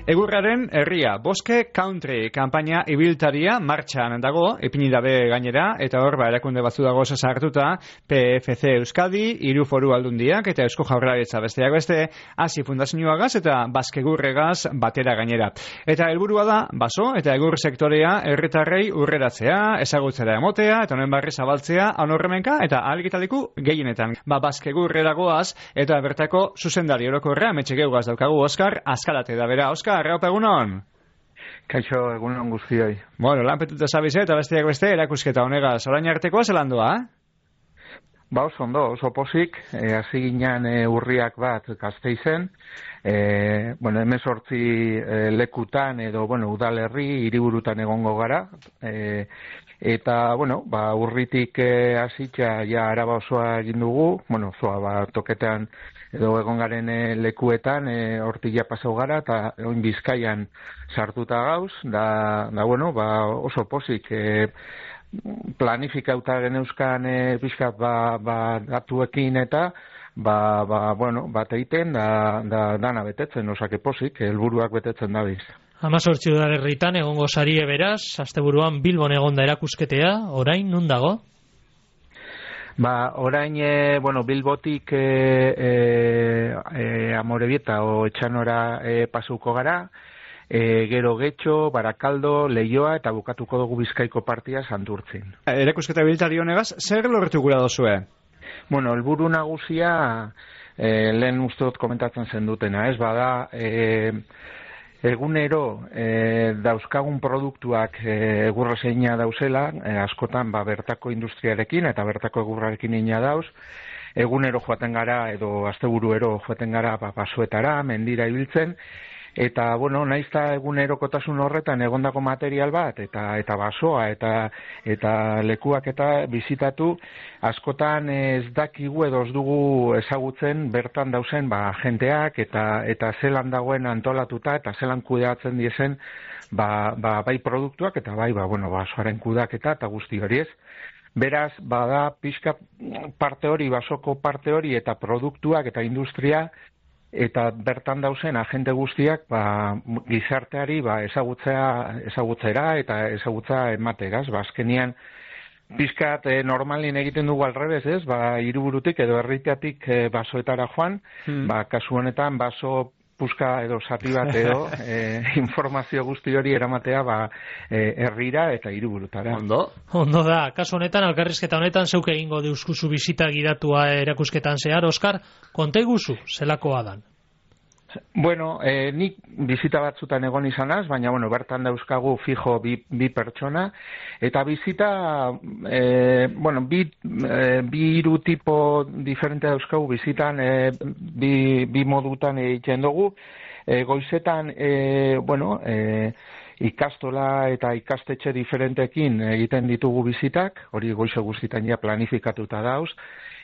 Egurraren herria, Boske Country kanpaina ibiltaria martxan dago, ipini dabe gainera, eta hor erakunde batzu dago sartuta, PFC Euskadi, hiru foru aldundiak eta Eusko Jaurlaritza besteak beste, Hasi Fundazioagaz eta Baskegurregaz batera gainera. Eta helburua da, baso eta egur sektorea herritarrei urreratzea, ezagutzera emotea, eta honen barri zabaltzea, anorremenka eta ahalgitaliku gehienetan. Baskegurrera goaz, eta bertako zuzendari orokorra, metxegeugaz daukagu Oskar, Azkalate da bera. Oskar, haupa egunon? Kaixo, egunon guztioi. Bueno, lanpetuta zabize eta besteak beste erakusketa honegaz. Orain artekoa zelan doa? Ba, oso ondo, oso posik, hasi ginen urriak bat Gasteizen, 18 lekutan edo, udalerri, hiriburutan egongo gara, eta, urritik hasitza ja Araba osoa egin dugu, osoa toketean edo egon garen lekuetan, hortik ja pasau gara, eta oin Bizkaian sartuta gauz, oso posik, planifikauta geneuzkan pixkat datuekin eta bat egiten da dana betetzen, osake posik, helburuak betetzen dabiz. 18 udalerritan egongo sarie beraz, asteburuan Bilbon egonda erakusketea, orain nun dago? Orain, Bilbotik Amorebieta o Etxanora pasuko gara, gero Getxo, Barakaldo, Leioa eta bukatuko dugu Bizkaiko partia Santurtzin. Erakusketa ibiltari honegaz, zer lortu gura dozue? Helburu nagusia, lehen uste dut komentatzen zen dutena, ez bada, egunero dauzkagun produktuak egurrezeina dauzela, askotan bertako industriarekin eta bertako egurrarekin ina dauz, egunero joaten gara edo asteburuero joaten gara basoetara, mendira ibiltzen, eta, naizta egunerokotasun horretan egondako material bat, eta basoa, eta lekuak eta bizitatu, askotan ez dakigu edo ez dugu ezagutzen bertan dauzen jenteak, eta zelan dagoen antolatuta, eta zelan kudeatzen diezen, bai produktuak, eta bai, basoaren kudaketa, eta guzti hori ez. Beraz, bada pixka parte hori, basoko parte hori, eta produktuak, eta industria, eta bertan dauzen agente guztiak gizarteari ezagutzera eta ezagutza emateraz. Azkenian pizkat normalin egiten dugu alrebez, ez? Hiriburutik edo herritatik basoetara joan, kasu honetan baso puska edo zati bat edo informazio guzti hori eramatea herrira eta hiriburutara. Ondo da, kasu honetan, elkarrizketa honetan zeuk egingo deuskuzu bizita gidatua erakusketan zehar, Oskar, konta iguzu, zelakoa dan? Nik bizita batzutan egon izanaz, baina, bertan dauzkagu fijo bi pertsona, eta bizita, bi hiru tipo diferente dauzkagu bizitan, bi modutan egiten dugu, goizetan, ikastola eta ikastetxe diferentekin egiten ditugu bizitak, hori goize guztitan ja planifikatuta dauz,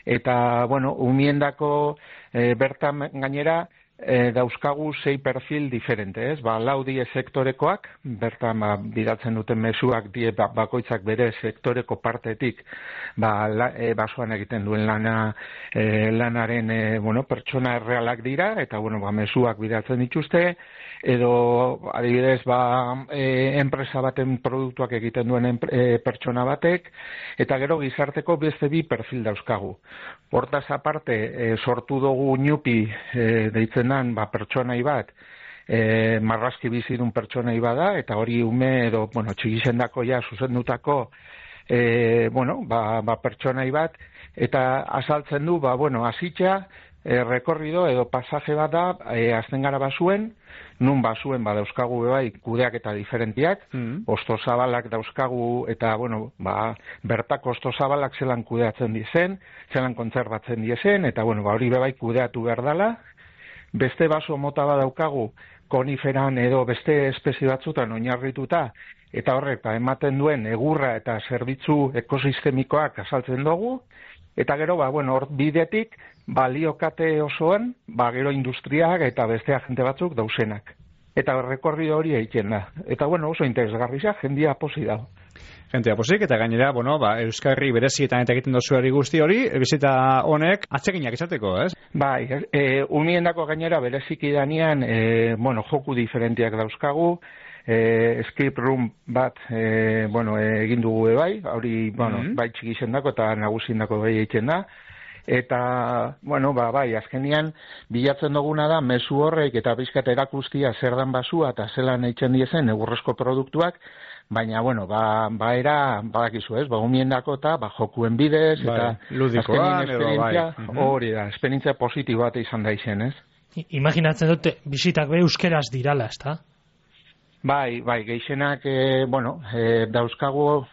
eta, umiendako bertan gainera, dauzkagu 6 perfil diferente, ez? Laudie sektorekoak, bertan bidatzen duten mezuak die bakoitzak bere sektoreko partetik basoan egiten duen lanaren pertsona errealak dira, eta mezuak bidatzen dituzte, edo adibidez enpresa baten produktuak egiten duen pertsona batek, eta gero gizarteko beste bi perfil dauzkagu. Hortaz aparte, sortu dugu Ñupi deitzen dan pertsonai bat, marrazki bizidun pertsonai bada, eta hori ume edo txikizendako zuzendutako pertsonai bat, eta azaltzen du, hasitza, rekorrido edo pasaje bat da, azten gara basuen, nun basuen dauzkagu kudeak eta diferentiak, ostozabalak dauzkagu, eta bertako ostozabalak zelan kudeatzen dizen, zelan kontzerbatzen dizen, eta hori kudeatu behar dela. Beste baso mota bat daukagu, koniferan edo beste espezie batzutan oinarrituta, eta horrek ematen duen egurra eta zerbitzu ekosistemikoak azaltzen dugu, eta gero, hor bidetik, baliokate osoan, gero industriak eta beste agente batzuk dauzenak. eta rekorrido hori egiten da. Eta bueno, oso interesgarria, jendia posi da. Jentea posik, eta gainera, Euskarri berezietan eta egiten dozu guzti hori, bizita honek atseginak izateko, ez? Bai, umiendako gainera bereziki danean, joku diferentiak dauzkagu, escape room bat, egin dugu bai, hori, bai txikizendako eta nagusindako bai egiten da, eta, bai, azkenian bilatzen duguna da, mezu horrek eta bizkat erakustia zer dan basua eta zelan eitzen diezen egurrezko produktuak, baina, era, badakizu ez, umiendako eta jokuen bidez, eta ludikoan, esperientzia, hori da, esperientzia positibo bat izan da izen, ez? Imaginatzen dute, bisitak be euskeraz dirala, ez da? Bai, gehienak, dauzkagu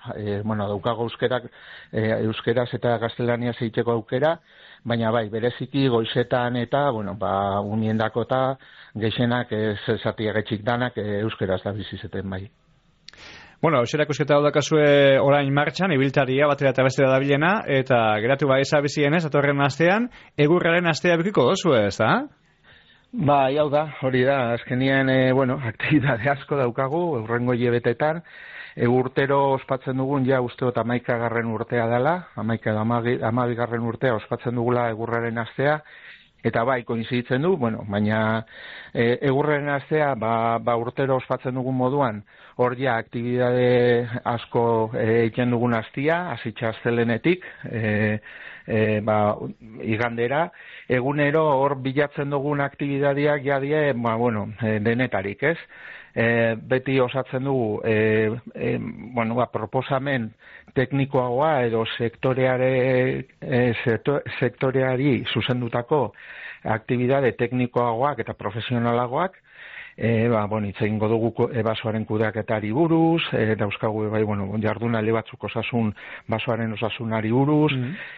euskeraz eta gaztelaniaz egiteko aukera, baina bai, bereziki goizetan eta, umiendako eta gehienak zatiagetxik danak euskeraz da bizizeten bai. Euserak eusketa daukazue orain martxan, ibiltaria batera eta bestera da bilena, eta geratu eza bizienez, atorren astean, egurraren astea bikiko dozu ez, da? Bai, hau da, hori da, azkenien, aktibitate asko daukagu, eurrengo hilebetetan, urtero ospatzen dugun, ja usteot 11. urtea dela, 12. urtea ospatzen dugula egurraren astea, eta bai, koinziditzen du, baina egurraren astea, urtero ospatzen dugun moduan, hor ja, aktibitate asko egiten dugun astia, hasitza astelenetik, igandera, egunero hor bilatzen dugun aktibitateak jadie, denetarik, ez? Beti osatzen dugu, proposamen teknikoagoa edo sektoreari zuzendutako aktibitate teknikoagoak eta profesionalagoak, itzaingo dugu basoaren kudeaketari buruz, dauzkagu jardunaldi batzuk osasun basoaren osasunari buruz,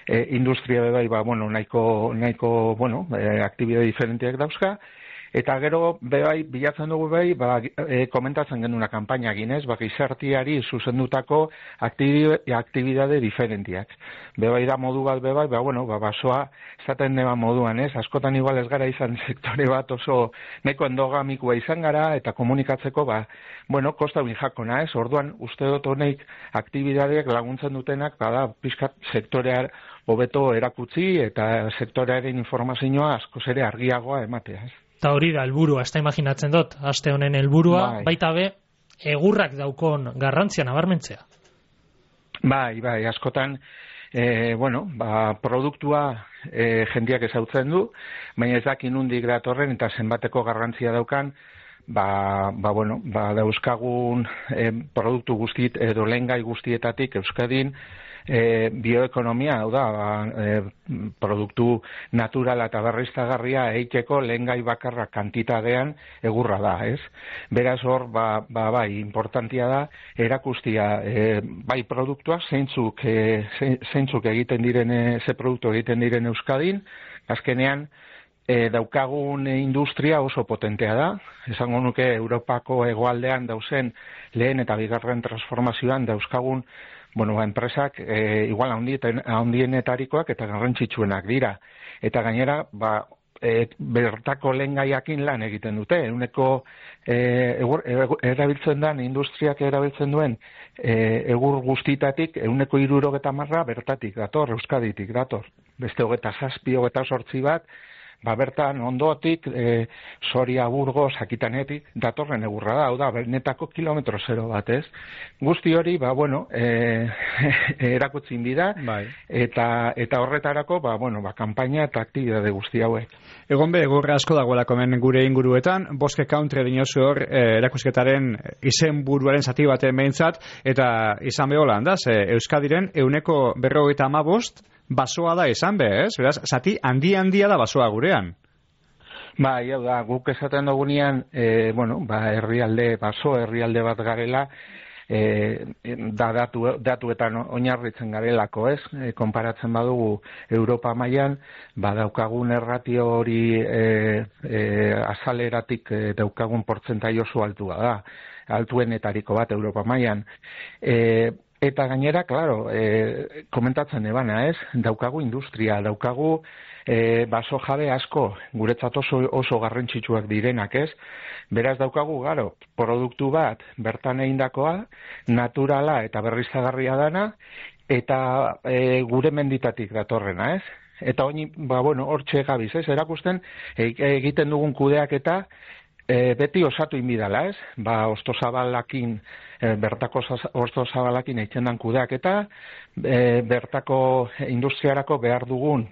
industria nahiko aktibitate diferenteak dauzka, eta gero bilatzen dugu komentatzen genuna kanpaina ginez, gizarteari zuzendutako aktibitate diferentiak. Da modu bat basoa esaten deba moduan, ez? Askotan igual ez gara izan sektore bat oso nahiko endogamikoa izan gara, eta komunikatzeko, kosta jakona, ez? Orduan, uste dut honek aktibitateak laguntzen dutenak, pixkat sektorear hobeto erakutsi, eta sektorearen informazioa askoz ere argiagoa ematea, ez? Eta hori da helburua, ez da imaginatzen dut, aste honen helburua, baita be, egurrak daukon garrantzia nabarmentzea. Bai, askotan, produktua jendiak ezautzen du, baina ez dakin nondik datorren eta zenbateko garrantzia daukan, dauzkagun produktu guztiet edo lehengai guztietatik Euskadin, bioekonomia, hau da, produktu naturala eta berriztagarria eiteko lehengai bakarra kantitatean egurra da, ez? Beraz hor, importantia da, erakustia, produktua, zeintzuk egiten diren, ze produktu egiten diren Euskadin, azkenean, daukagun industria oso potentea da, esango nuke Europako hegoaldean dauzen lehen eta bigarren transformazioan dauzkagun enpresak igual handienetarikoak eta garrantzitsuenak dira. Eta gainera, bertako lehengaiakin lan egiten dute. Erabiltzen den, industriak erabiltzen duen egur guztitatik, 70% bertatik dator, Euskaditik dator. Beste 27, 28 bat, bertan ondotik, Soria, Burgos, Akitanetik, datorren egurra da, hau da, benetako kilometro zero bat, ez? Guzti hori, erakutzin bida, eta horretarako, kanpaina eta aktibitate guzti hauek. Egon egurra asko dagoelako hemen gure inguruetan, Boske Country dinozu hor, erakusketaren izen buruaren zati baten behintzat, eta izan beholan da, Euskadiren 155 basoa da izan ez? Beraz, zati handia da basoa gurean. Hau da, guk esaten dugunean, herrialde bat garela, datuetan oinarritzen garelako, ez? Konparatzen badugu Europa mailan, daukagun erratio hori azaleratik daukagun portzentai oso altua da, altuenetariko bat Europa mailan. Eta gainera, claro, komentatzen ebana, ez? Daukagu industria, daukagu baso jabe asko, guretzat oso garrantzitsuak direnak, ez? Beraz daukagu, garo, produktu bat bertan egindakoa, naturala eta berriztagarria dana, eta gure menditatik datorrena, ez? Eta hori, hortxe gabiz, ez? Erakusten, egiten dugun kudeaketa, beti osatu inbidala, ez? Ostozabalakin, bertako ostozabalakin eitzen dan kudeaketa, bertako industriarako behar dugun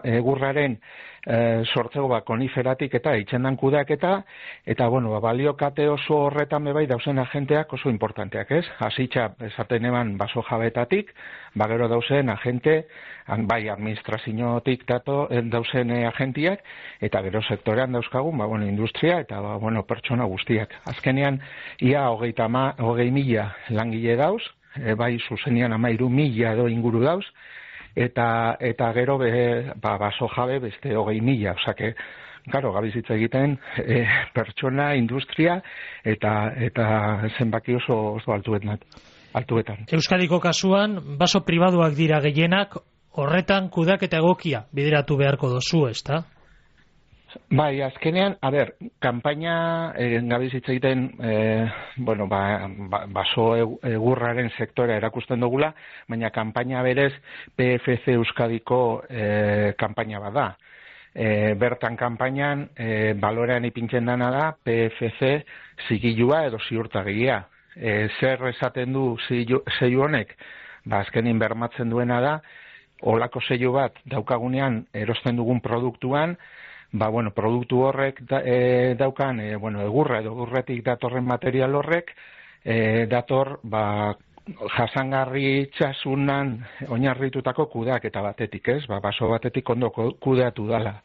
egurraren sortzeko koniferatik eta eitzen dan kudeaketa, eta, baliokate oso horretan bebai dauzen agenteak oso importanteak, ez? Hasitza esaten eban baso jabetatik, gero dauzen agente, bai administraziotik dauzen agentiak, eta gero sektorean dauzkagun, industria eta, pertsona guztiak. Azkenean, ia 20.000 langile dauz, bai zuzenian 13.000 edo inguru dauz, eta gero baso jabe beste 20.000, osake, claro, gabizitza egiten pertsona, industria eta zenbaki oso altuetan. Euskadiko kasuan, baso pribaduak dira gehienak, horretan kudeaketa egokia bideratu beharko dozu, ezta? Bai, azkenean, kanpaina gabizitza egiten, baso egurraren sektorea erakusten dugula, baina kanpaina berez PFC Euskadiko kanpaina bada. Bertan kanpainan balorean ipintzen dana da PFC zigilua edo ziurtagia. Zer esaten du zeilu honek? Azkenin bermatzen duena da, olako zeilu bat daukagunean erosten dugun produktuan, produktu horrek daukan, egurra edo egurretik datorren material horrek, dator, jasangarritasunan oinarritutako kudeaketa batetik, ez? Baso batetik ondo kudeatu dala.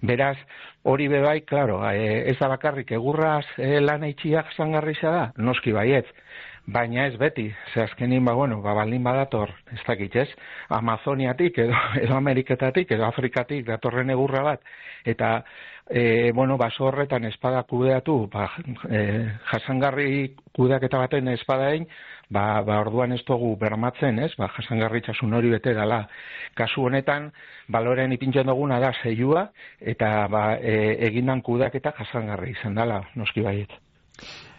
Beraz, hori bebai, claro, ez da bakarrik egurraz lan eitxiak jasangarritza da, noski baiet. Baina ez beti, ze azkenin, baldin badator, ez dakit, ez? Amazoniatik, edo Ameriketatik, edo Afrikatik datorren egurra bat, eta, baso horretan espada kudeatu, jasangarri kudeaketa baten espadain, orduan ez dugu bermatzen, ez? Jasangarritzasun hori bete dala. Kasu honetan, balorean ipintzen duguna da zeilua, eta egindan kudeaketa jasangarri izan dala, noski baiet.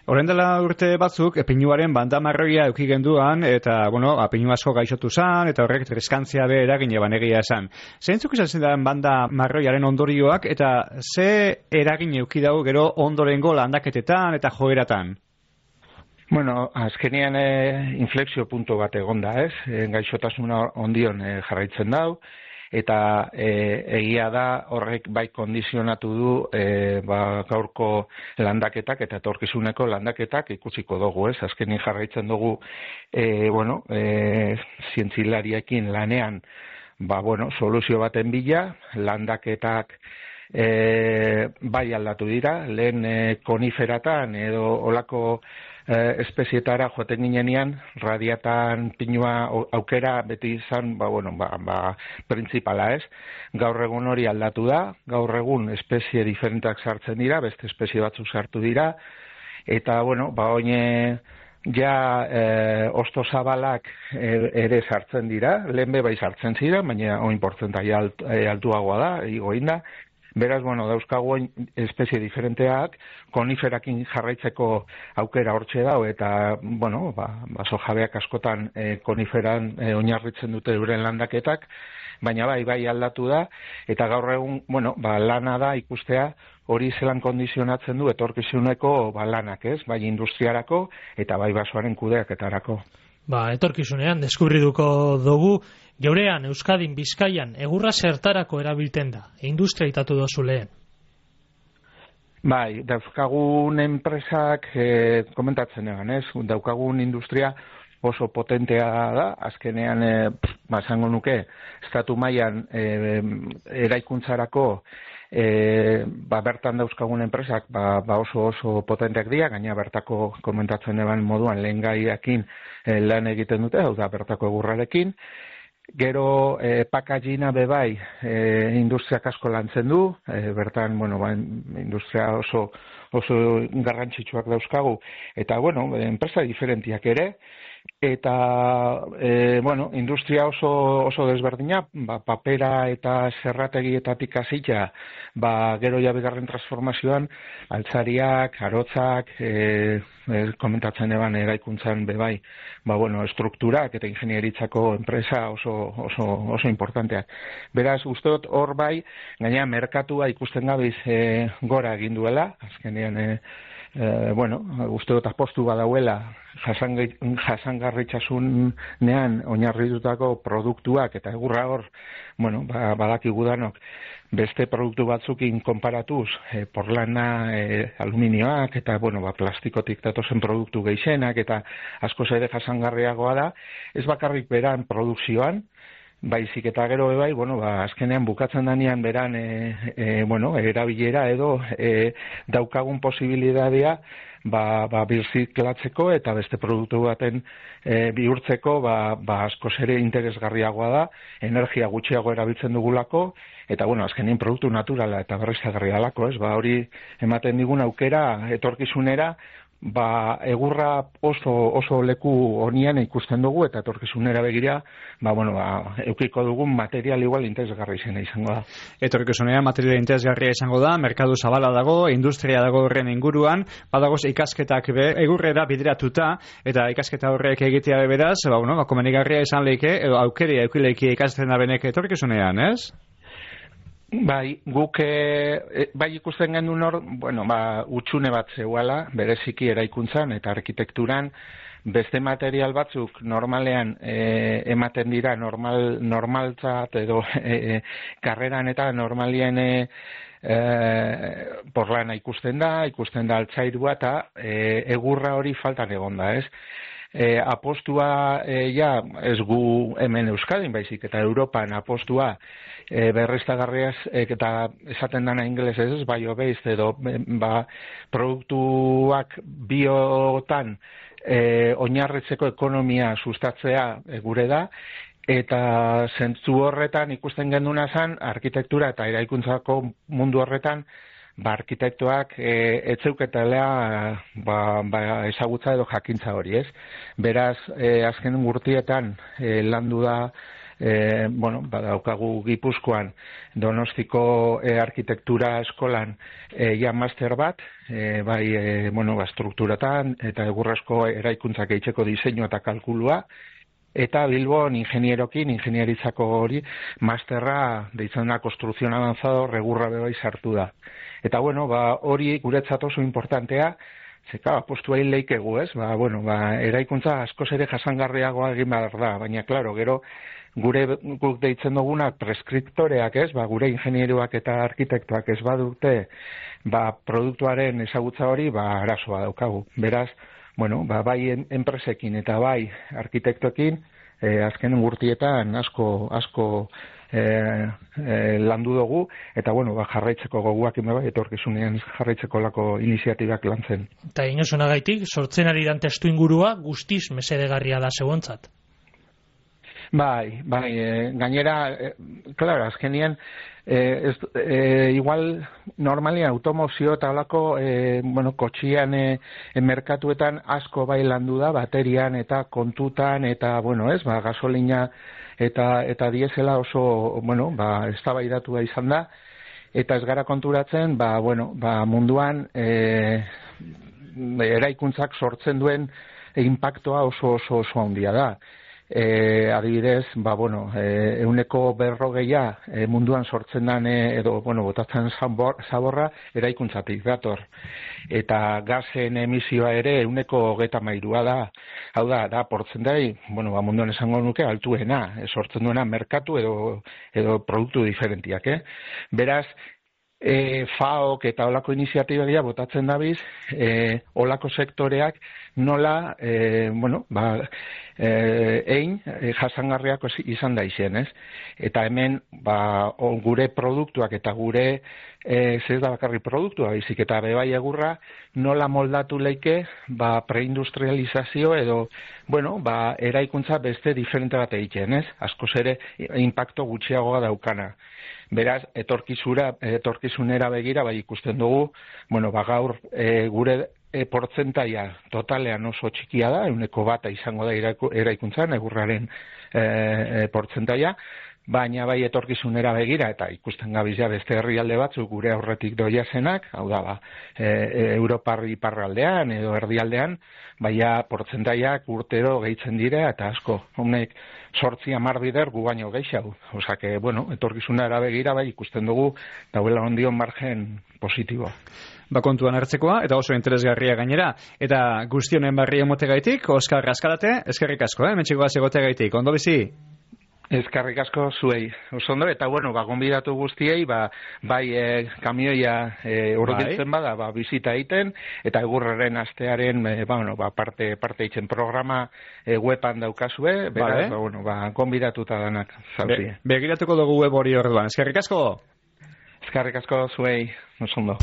Horren dela urte batzuk, pinuaren banda marroia euki genduan, eta, pinu asko gaixotu zan, eta horrek triskantzia be eragin eban egia esan. Zeintzuk izan zen banda marroiaren ondorioak, eta ze eragin euki dago gero ondorengo landaketetan eta joeratan? Azkenean inflexio punto bat egonda, ez? Gaixotasuna ondion jarraitzen dau, eta egia da horrek bai kondizionatu du gaurko landaketak eta etorkizuneko landaketak ikusiko dugu, ez? Azkenin jarraitzen dugu zientzilariekin lanean soluzio baten bila, landaketak bai aldatu dira, lehen koniferatan edo olako espezietara joaten ginenean, radiatan pinua aukera beti izan, printzipala, ez? Gaur egun hori aldatu da, gaur egun espezie diferentak sartzen dira, beste espezie batzuk sartu dira, eta, oine ostozabalak ere sartzen dira, lehen bai sartzen zira, baina oin portzentaia altuagoa da, igoinda. Beraz, dauzkagu espezie diferenteak, koniferakin jarraitzeko aukera hortxe dau, eta, baso jabeak askotan koniferan oinarritzen dute euren landaketak, baina bai aldatu da, eta gaur egun, lana da ikustea hori zelan kondizionatzen du etorkizuneko lanak, ez? Bai industriarako eta bai basoaren kudeaketarako. Etorkizunean deskubriduko dugu, geurean, Euskadin, Bizkaian, egurra zertarako erabilten da, industria itatu dozu lehen. Dauzkagun enpresak komentatzen egan, ez? Daukagun industria oso potentea da, azkenean, esango nuke, estatu mailan eraikuntzarako bertan dauzkagun enpresak oso potenteak dira, gaina bertako komentatzen eban moduan lehen gaiakin lan egiten dute, hau da bertako egurrarekin. Gero packagina bebai industriak asko lantzen du, bertan industria oso garrantzitsuak dauzkagu, eta enpresa diferentiak ere, eta bueno, industria oso desberdina, papera eta zerrategietatik hasita, gero ja bigarren transformazioan altzariak, arotzak, komentatzen eban eraikuntzan bebai, bueno, estrukturak eta ingenieritzako enpresa oso importanteak. Beraz, uste dut hor bai, gaina merkatua ikusten gabiz gora egin duela, azkenean bueno, uste dut apostu badauela jasangarritasunean oinarritutako produktuak eta egurra hor, bueno, badakigu danok beste produktu batzukin konparatuz, porlana, aluminioak eta, bueno, plastikotik datozen produktu gehienak eta askoz ere jasangarriagoa da, ez bakarrik beran produkzioan, baizik eta gero bai, bueno, azkenean bukatzen danean beran bueno, erabilera edo daukagun posibilitatea birziklatzeko eta beste produktu baten bihurtzeko askoz ere interesgarriagoa da, energia gutxiago erabiltzen dugulako eta bueno, azkenean produktu naturala eta berriztagarria dalako, ez? Hori ematen digun aukera etorkizunera egurra oso leku honian ikusten dugu eta etorkizunera begira, bueno, eukiko dugun material igual interesgarria izango da. Etorkizunera material interesgarria izango da, merkadu zabala dago, industria dago horren inguruan, badagoz ikasketak egurrera bideratuta eta ikasketa horrek egitea beraz, bueno, komenigarria izan leike edo aukeria eukileiki ikasten da benek etorkizunean, ez? Bai, guk bai ikusten genuen hor, bueno, utxune bat zeuala, bereziki eraikuntzan eta arkitekturan, beste material batzuk normalean ematen dira normaltzat edo karreran eta normalien porlana ikusten da altzairua eta egurra hori faltan egon da, ez? Apostua ez gu hemen Euskadin baizik eta Europan apostua berriztagarriaz eta esaten dana ingelesez ez, bio-based edo produktuak biotan oinarritzeko ekonomia sustatzea gure da eta zentzu horretan ikusten genduna zen arkitektura eta eraikuntzako mundu horretan arkitektoak etzeuketela ezagutza edo jakintza hori, ez? Beraz, azken urtietan landu da, bueno, daukagu Gipuzkoan Donostiko arkitektura eskolan master bat, bueno, strukturatan eta egurrezko eraikuntzak eitzeko diseinu eta kalkulua, eta Bilbon ingenieritzako hori masterra deitzen da konstruzion avanzado regurra bebai sartu da. Eta bueno, hori guretzat oso importantea, zeka apostua hil leikegu, ez? Bueno, eraikuntza askoz ere jasangarriagoa egin behar da, baina claro, gero guk deitzen dugunak preskriptoreak, ez? Gure ingenieruak eta arkitektoak ez badute produktuaren ezagutza hori, arazoa daukagu. Beraz, bueno, bai enpresekin eta bai arkitektoekin azken urtietan asko landu dugu eta bueno, jarraitzeko goguak etorkizunean jarraitzeko lako iniziatibak lantzen. Eta inosunagaitik, sortzen ari dan testu ingurua guztiz mesedegarria da zeuontzat. Bai, gainera, claro, azkenean igual normalian automozio eta holako bueno, kotxian merkatuetan asko bai landu da, baterian eta kontutan eta bueno, ez, gasolina eta diesela oso, bueno, eztabaidatu izan da eta ez gara konturatzen, bueno, munduan eraikuntzak sortzen duen impactoa oso handia da. Adibidez, bueno, 140 munduan sortzen den edo, bueno, botatzen zaborra eraikuntzatik dator. Eta gasen emisioa ere 133 da. Hau da portzentai, bueno, munduan esango nuke altuena, sortzen duena merkatu edo produktu diferentiak, Beraz, FAOk eta olako iniziatibia botatzen dabiz, olako sektoreak nola, bueno, jasangarriak izan da izen, ez? Eta hemen, gure produktuak eta gure, ez da bakarri produktua, baizik eta bebai egurra, nola moldatu leike, preindustrializazio edo, bueno, eraikuntza beste diferente bat egiten, ez? Askoz ere, impacto gutxiagoa daukana. Beraz, etorkizunera begira, ikusten dugu, bueno, gaur gure portzentaia totalean oso txikia da, 1% izango da eraikuntzan, egurraren portzentaia, baina bai etorkizunera begira, eta ikusten gabizia beste herrialde batzuk gure aurretik doia zenak, hau da, Europar iparraldean edo erdialdean, baina portzentaiak urtero gehitzen dira, eta asko, honek 8-10 bider gu baino gehiago. Osake, bueno, etorkizunera begira bai ikusten dugu, dauela ondion margen positiboa. Kontuan hartzekoa, eta oso interesgarria gainera. Eta guztionen barri emotegaitik, Oskar Azkarate, eskerrik asko, mentxikoaz egotegaitik. Ondo bizi? Eskerrik asko zuei. Oso ondo, eta bueno, gonbidatu guztiei, bai kamioia hurbiltzen bada, bizita egiten, eta egurraren astearen, parte egiten programa weban daukazue, beraz, gonbidatuta danak zauzie. Begiratuko dugu web hori orduan. Eskerrik asko? Eskerrik asko zuei, oso ondo.